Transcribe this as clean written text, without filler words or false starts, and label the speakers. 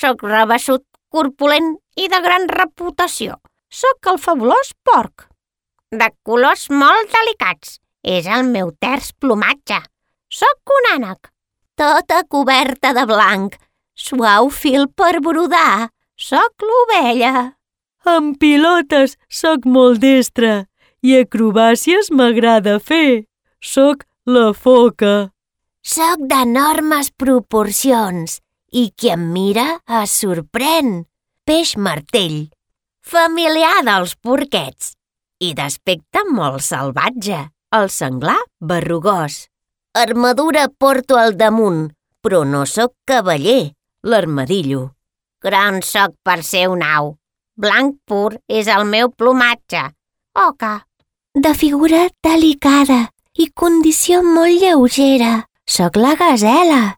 Speaker 1: Soc rabassut, corpulent i de gran reputació. Soc el fabulós porc. De colors molt delicats. És el meu terç plomatge. Soc un ànec. Tota coberta de blanc. Suau fil per brodar. Soc l'ovella.
Speaker 2: Amb pilotes soc molt destre i acrobàcies m'agrada fer. Soc la foca.
Speaker 1: Soc d'enormes proporcions i qui em mira es sorprèn. Peix martell, familiar dels porquets i d'aspecte molt salvatge, el senglar berrugós. Armadura porto al damunt, però no sóc cavaller, l'armadillo. Gran sóc per ser un au. Blanc pur és el meu plomatge. Oca. De figura delicada i condició molt lleugera. Soc la gasela.